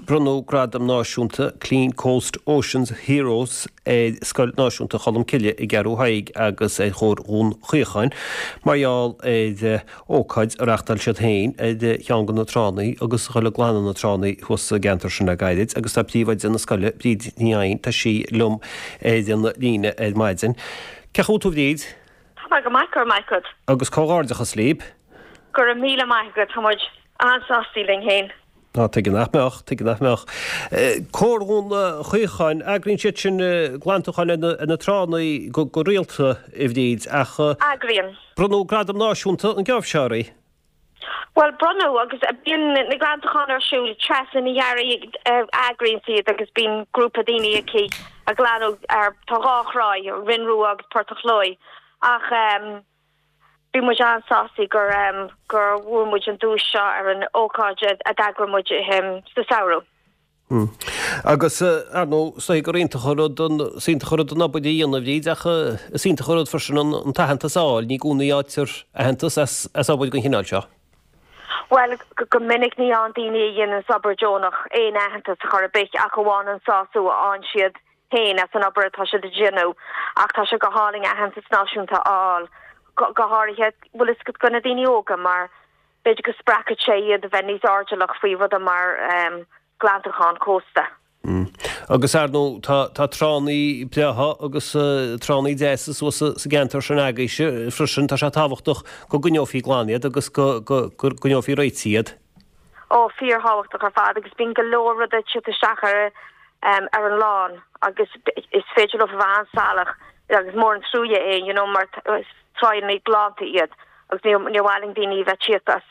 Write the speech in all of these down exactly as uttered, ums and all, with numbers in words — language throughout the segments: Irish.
Bronnadh Gradam Náisiúnta Clean Coast Oceans Heroes ar Scoil Náisiúnta Cholmcille i gCeathrú Thaidhg agus ar Chomhar Dhún Chaocháin mar gheall ar ócáid a reáchtáil siad féin ar cheann de na tránna agus a dhul ag glanadh na tránna thuas sa gceantar sin le gairid agus tá príomhoide na scoile, Bríd Ní Eidhin, tá sí liom ar an líne ar maidin. Cén chaoi a bhfuil tú a Bhríd? Tá mé go maith, go raibh maith agat. Agus comhghairdeachas libh. Go raibh míle maith agat, tá muid an-sásta linn féin. Á, tuige nach mbeadh, tuige nach mbeadh. Comhar Dhún Chaocháin, eagraíonn siad sin glantachán ar na tránna go rialta, a Bhríd, ach. Eagraíonn. Bronnadh gradam náisiúnta an geábh seo oraibh. Bhuel, bronnadh, agus bíonn na glantacháin ar siúl, Treasa Ní Fhearraigh a eagraíonn iad agus bíonn grúpa daoine aici a ghlanadh ar, tá dhá thráigh, Rinn Rua agus Port a' Chlóidh, ach bhí muid an-sásta gur gur bhuaigh muid an duais seo ar an ócáid a d'eagraigh muid sa samhradh. Agus, ar ndóigh, is dóigh gur iontach an rud an, is iontach an rud an obair a dhéanamh, a Bhríd, ach is iontach an rud freisin an an t-aitheantas a fháil, ní i gcónaí a fhaightear aitheantas as as obair den chineál seo. Bhuel, go minic ní fhaigheann daoine a dhéananns obair deonach aon aitheantas chor ar bith ach amháin an sásamh a fhaigheann siad féin as an obair atá siad a dhéanamh ach tá sé go hálainn aitheantas náisiúnta a fháil, go háirithe, bhfuil fhios agat, do na daoine óga mar b'fhéidir go spreagfaidh sé iad a bheith níos airdeallach faoi rudaí mar glantachán cósta. Agus ar ndóigh tá tá tránna breátha agus tránna deasa suas sa gceantar sin agaibhse freisin, tá sé tábhachtach go gcoinneofaí glan iad agus go go gcoinneofaí réitithe iad. Ó, fíorthábhachtach ar fad agus bíonn go leor rudaí ag teacht isteach ar ar an oileán agus is féidir leo a bheith an-salach agus mór an truaighe é you know mar is tráigheanna glanta iad agus níor níor mhaith linn daoine a bheith tíocht as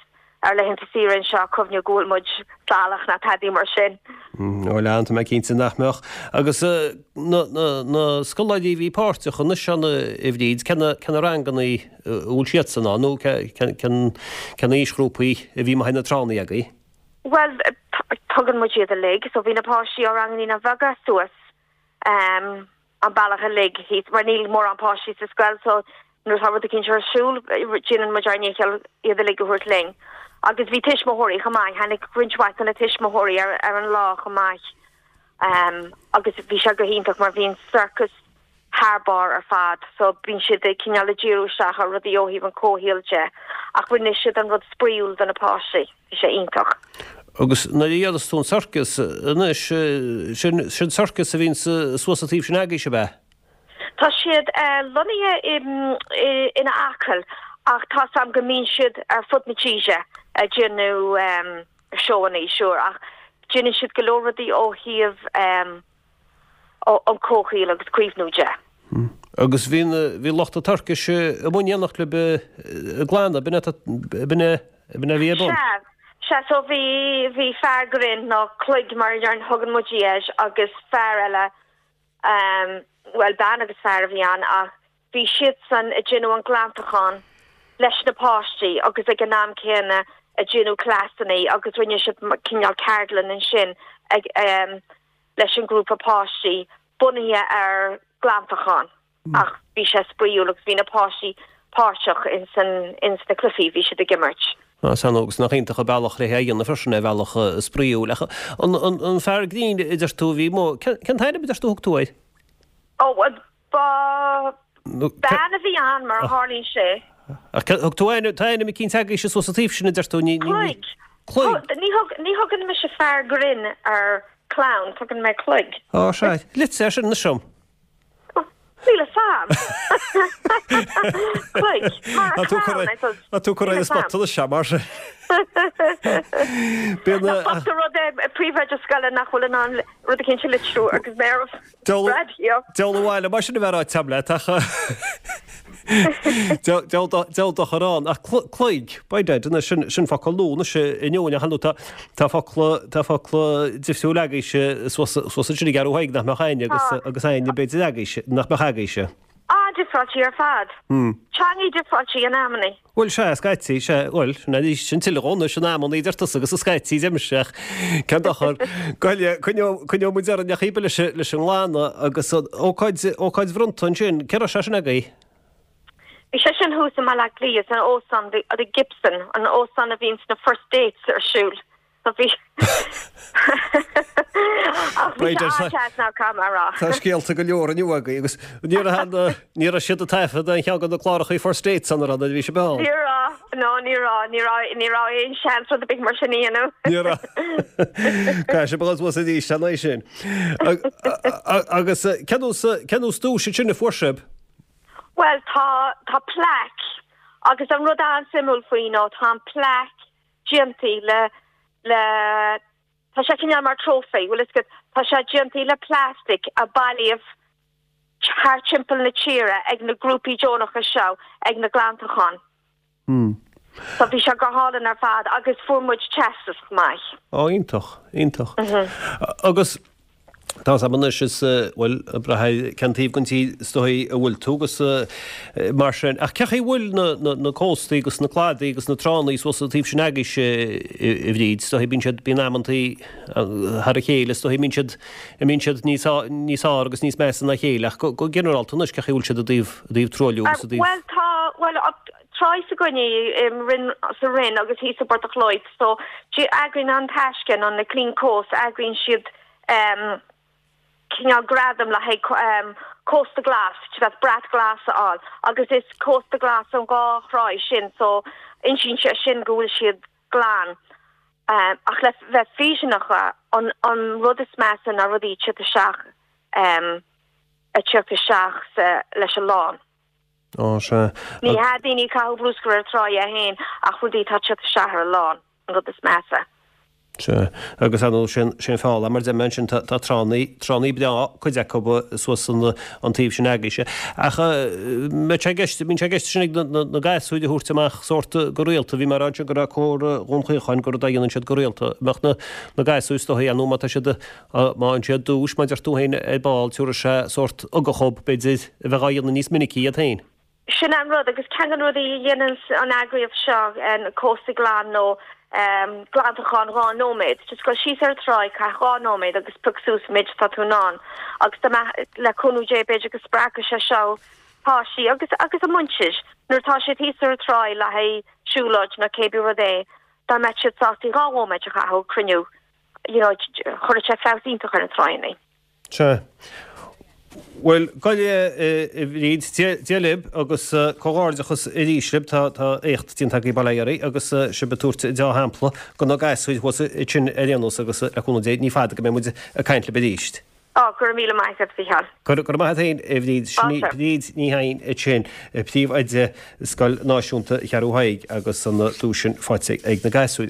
ar laethanta saoire anseo ag cuimhneamh go bhfuil muid salach ná tadaí mar sin. Ó lean, tá mé cinnte nach mbeadh. Agus na na na scoláirí a bhí páirteach anois ann a Bhríd, cé na cé na ranganna a bhfuil siadsan ann nó cé cé cén cén aoisghrúpaí a bhí amuigh ar na tránna agaibh? Bhuel, tugann muid iad uilig, so bhí na páistí ó ranganna Naíonáin Bheaga suas an bealach uilig thíos, mar níl mórán páistí sa scoil so nuair atá rud eicínt ar siúl déanann muid ár ndícheall iad uilig a thabhairt linn. Agus bhí tuismitheoirí chomh maith, tháinig roinnt mhaith de na tuismitheoirí ar ar an lá chomh maith agus bhí sé go hiontach mar bhí an sorcas thar barr ar fad so bíonn siad ag cineál ag díriú isteach ar rudaí ó thaobh an comhshaoil de ach rinne siad an rud spraíúil do na páistí, bhí sé iontach. Agus nuair a déarfas tú an sorcas anois, sin sin sorcas a bhíonn suas an taobh sin agaibhse, ab ea? Tá siad lonnaithe in Acaill ach tá 's a'm go mbíonn siad ar fud na tíre ag déanamh seóanna, sure, ach déanann siad go leor rudaí ó thaobh an comhshaoil agus caomhnú de. Agus bhí bhí lucht an tsorcais amuigh in éineacht libh ag glanadh, b'in é b'in é b'in é a bhí ar bun? Sea, sea, so bhí bhí fear grinn nó cloig mar a thugann muid air agus fear eile, bhuel bean agus fear a bhí ann ach bhí siadsan ag déanamh an glantachán leis na páistí agus ag an am céanna ag déanamh cleasanna agus rinne siad cineál ceardlann ansin ag leis an grúpa páistí bunaithe ar glantachán ach bhí sé spraíúil agus bhí na páistí páirteach ins an ins na cluichí bhí siad ag imirt. Á, sea agus nach iontach an bealach le é a dhéanamh freisin ar bhealach spraíúil. Ach an an an fear grinn a deir tú a bhí amuigh, cén cén t-ainm a deir tú a thug tú air? Ó, ba bean a bhí ann mar a tharlaíonn sé. Ach thug tú ainm, tá ainm eicínt agaibhse suas an taobh sin a deir tú, ní, ní, Cloig. Cloig. Ní thug, ní thugann mise fear grinn ar clown, tugann mé cloig. Á, sea. Litrigh é sin anois dom. Níl fhios a'm. Cloig. Mar a clown, I suppose. Tá tú curtha ar an spot anois, sea, mar sin. Bíonn Nach bocht an rud é príomhoide scoile nach bhfuil in ann rud eicínt a litriú agus mé ar raidió. Deabhal abhaile mar sin a bheith ráite agam leat ach deabhal dochar ann ach cloig, by dad, anois sin sin focal nua anois inniu ach tá tá focla tá focla difriúil agaibhse suas suas ansin i gCeathrú Thaidhg nach mbeadh aithne agus agus aithne b'fhéidir agaibhse nach mbeadh agaibhse. An-difreáilte ar fad. Teangaí difreáilte in amannaí. Bhuel, sea, scaití, sea, bhuel, sin arís, sin tuilleadh anois in amannaí, deir tusa agus scaití, deirimse, ach cén dochar, goile, coinneoidh, coinneoidh muid orainn ach íbe leis, leis an nglanadh agus an ócáid, ócáid bhronnta ansin, cé raibh sé sin agaibh? Bhí sé sin thuas i mBaile Átha Cliath, san óstán, the, the Gibson, an óstán a bhíonns na first dates ar siúl. So bhí Bhí sé an-deas ná caithfidh mé a rá. Tá scéalta go leor inniu agaibh agus ní raibh ní raibh siad ag taifeadh aon cheann de na cláracha First Dates an raibh nuair a bhí sibh ann. Ní raibh, no ní raibh, ní raibh, ní raibh aon seans rud ar bith mar sin a dhéanamh. Ní raibh. Caithfidh sibh a dhul suas arís an é sin. Agus cén nós cén nós duais ansin a fuair sibh? Bhuel tá tá plaic agus an rud an-suimiúil faoi ná tá an plaic déanta le le tá sé cineál mar trophy, bhfuil fhios agat, tá sé déanta le plastic a bailíodh thar timpeall na tíre ag na grúpaí deonacha seo ag na glantacháin. Hmm. So bhí sé go hálainn ar fad agus fuair muid teastas chomh maith. Ó iontach, iontach. Mhm. Agus tá a fhios agam anois is bhuel ag brath ar cén taobh den tír is dóigh a bhfuil tú agus mar sin ach cén chaoi a bhfuil na na na cóstaí agus na cladaí agus na tránna suas an taobh sin agaibhse a Bhríd is dóigh bíonn siad bíonn amantaí thar a chéile is dóigh mbíonn siad a mbíonn siad níos níos fearr agus níos measa ná a chéile ach go go ginearálta anois cén chaoi a bhfuil siad i dtaobh i dtaobh truailliú agus i dtaobh Bhuel tá bhuel tráigh s'againne i Rinn sa Rinn agus thíos i bPort a' Chloic so eagraíonn An Taisce nó na Clean Coast eagraíonn siad um, cineál gradam le haghaidh um, cósta glas bheith brat glas a fháil agus is cósta glas an dhá thráigh sin so insíonn sé sin go bhfuil siad glan. Um, ach le bheith fírinneach an, an rud is measa ná rudaí teacht isteach um, a teacht isteach leis an lán. Ó sea. Ní hea daoine ag caitheamh bruscar ar tráigh é féin ach rudaí tá teacht isteach ar an lán an rud is measa. Sea, agus ar ndóigh sin sin fála mar deir sin tá tránna tránna breá cuid acu suas an an taobh sin agaibhse. Ach mbeadh sé i gceist bíonn sé i gceist sin ag na na gasúir a thabhairt amach sórt go rialta bhí mé ag rá go raibh cór Dhún Chaocháin gur rud a dhéanann siad go rialta. Mbeadh na na gasúir is dóigh nó má tá siad má fhaigheann siad duais mar deir tú féin ar ball tabharfaidh sé sórt ugach dhóibh b'fhéidir a bheith á dhéanamh níos minicí iad féin. Sin an rud agus ceann de na rudaí a dhéanann an eagraíocht seo an cósta glan nó um, glantachán dhá nóiméad, just go síos ar tráigh caith dhá nóiméad agus pioc suas méid tá tú in ann agus le cúnamh Dé b'fhéidir go spreagfaidh sé seo páistí agus agus a muintir nuair tá siad thíos ar tráigh le haghaidh siúlóid nó cébí rud é dá mbeadh siad sásta dhá nóiméad a chaitheamh ag cruinniú you know, chuirfeadh sé feabhas iontach ar na tránna. Sea. Bhuel, gabh i leith a Bhríd, Dia libh agus comhghairdeachas arís libh tá tá éacht déanta agaibh bail ó Dhia oraibh agus sibh ag tabhairt dea-shampla do na gasúir thuas ansin ar aon nós agus le cúnamh Dé ní fada go mbeidh muid ag caint libh arís. Á, go raibh míle maith agat, a Mhícheáil. Go raibh maith agat féin, a Bhríd. Sin í Bríd Ní Chadhain ansin, príomhoide Scoil Náisiúnta Cheathrú Thaidhg agus an duais sin faighte ag na gasúir.